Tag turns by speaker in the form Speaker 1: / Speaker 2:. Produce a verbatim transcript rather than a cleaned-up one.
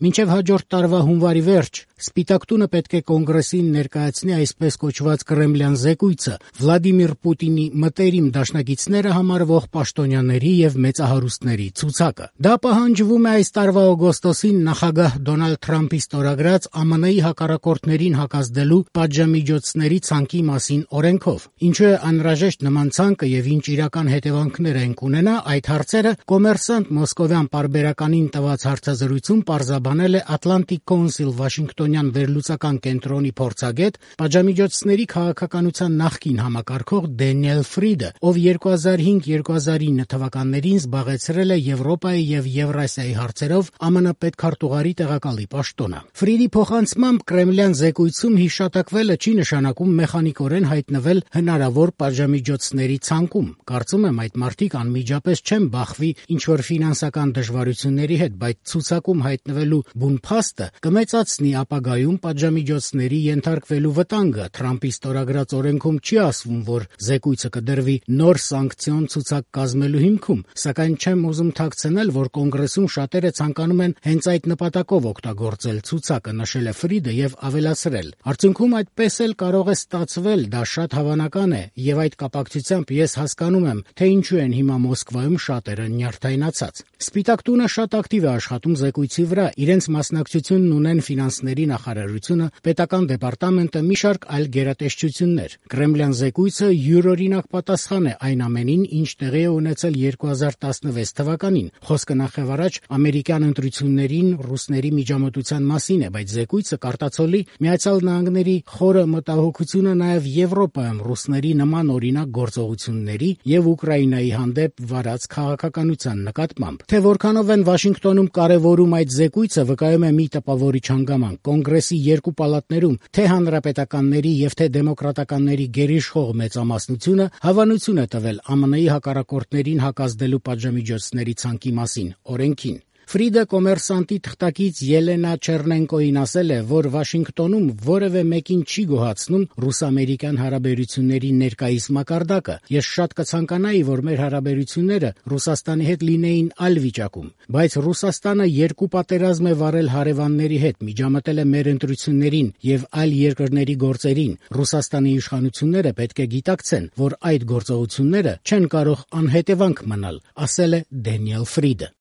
Speaker 1: Մինչև հաջորդ տարվա հունվարի վերջ Սպիտակ տունը պետք է Կոնգրեսին ներկայացնի այսպես կոչված կրեմլյան զեկույցը Վլադիմիր Պուտինի մտերիմ դաշնակիցները համարվող պաշտոնյաների եւ մեծահարուստների ցուցակը։ Դա պահանջվում է այս տարվա օգոստոսին նախագահ Դոնալդ Թրամփի ստորագրած ԱՄՆ-ի հակառակորդներին հակազդելու պատժամիջոցների ցանկի մասին օրենքով։ Ինչու է անհրաժեշտ նման ցանկը եւ ինչ իրական հետևանքներ են կունենա, այդ հարցերը Կոմերսանտ մոսկովյան պարբերականին տված հարցազրույցում պարզաբանել է Atlantic Council Վաշինգտոնյան վերլուծական կենտրոնի փորձագետ, պատժամիջոցների քաղաքականության նախկին համակարգող Դենիել Ֆրիդը, ով երկու հազար հինգ երկու հազար ինը թվականներին զբաղեցրել է Եվրոպայի եւ Եվրասիայի հարցերով ԱՄՆ պետքարտուղարի տեղակալի պաշտոնը։ Ֆրիդի փոխանցմամբ Կրեմլյան զեկույցում հիշատակվելը չի նշանակում մեխանիկորեն հայտնվել հնարավոր պատժամիջոցների ցանկում։ Կարծում եմ այդ մարդիկ անմիջապես չեն բախվի ինչ-որ ֆինանսական դժվարությունների հետ, բայց ցուցակում հայտնվելու բուն փաստը կմեծացնի ապագայում պատժամիջոցների ենթարկվելու վտանգը։ Թրամփի ստորագրած օրենքում չի ասվում, որ զեկույցը կդրվի նոր սանկցիոն ցուցակ կազմելու հիմքում, սակայն չեմ ուզում թաքցնել, որ Կոնգրեսում շատերը ցանկանում են հենց այդ նպատակով օգտագործել ցուցակը, նշել է Ֆրիդը եւ ավելացրել. Արդյունքում այդպես էլ կարող է ստացվել, դա շատ հավանական է, եւ այդ կապակցությամբ ես հասկանում եմ, թե ինչու են հիմա Մոսկվայում շատերը նյարդայնացած։ Սպիտակ տունը շատ ակտիվ է աշխատում զեկույցի վրա, իրենց մասնակցությունն ունեն ֆինանսների նախարարությունը, պետական դեպարտամենտը, մի շարք այլ գերատեսչություններ։ Կրեմլյան զեկույցը յուրօրինակ պատասխան է այն ամենին, ինչ տեղի է ունեցել երկու հազար տասնվեց թվականին։ Խոսքը նախևառաջ ամերիկյան ընտրություններին ռուսների միջամտության մասին է, բայց զեկույցը կարտացոլի Միացյալ Նահանգների խորը մտահոգությունը նաև Եվրոպայում ռուսների նման օրինակ գործողությունների եւ Ուկրաինայի հանդեպ վարած քաղաքականության նկատմամբ։ Թե որքանով են Վաշինգտոնում կարևորում այդ զեկույցը, վկայում է մի տպավորիչ հանգամանք։ Կոնգրեսի երկու պալատներում թե հանրապետականների եւ թե դեմոկրատականների գերիշխող մեծամասնությունը հավանություն է տվել ԱՄՆ-ի հակառակորդներին հակազդելու պատժամիջոցների ցանկի մասին օրենքին։ Ֆրիդը Կոմերսանտի թղթակից Ելենա Չեռնենկոին ասել է, որ Վաշինգտոնում որևէ մեկին չի գոհացնում ռուս-ամերիկյան հարաբերությունների ներկայիս մակարդակը։ Ես շատ կցանկանայի, որ մեր հարաբերությունները Ռուսաստանի հետ լինեին այլ վիճակում, բայց Ռուսաստանը երկու պատերազմ է վարել հարևանների հետ, միջամտել է մեր ընտրություններին եւ այլ երկրների գործերին։ Ռուսաստանի իշխանությունները պետք է գիտակցեն, որ այդ գործողությունները չեն կարող անհետևանք մնալ, ասել է Դենիել Ֆրիդը։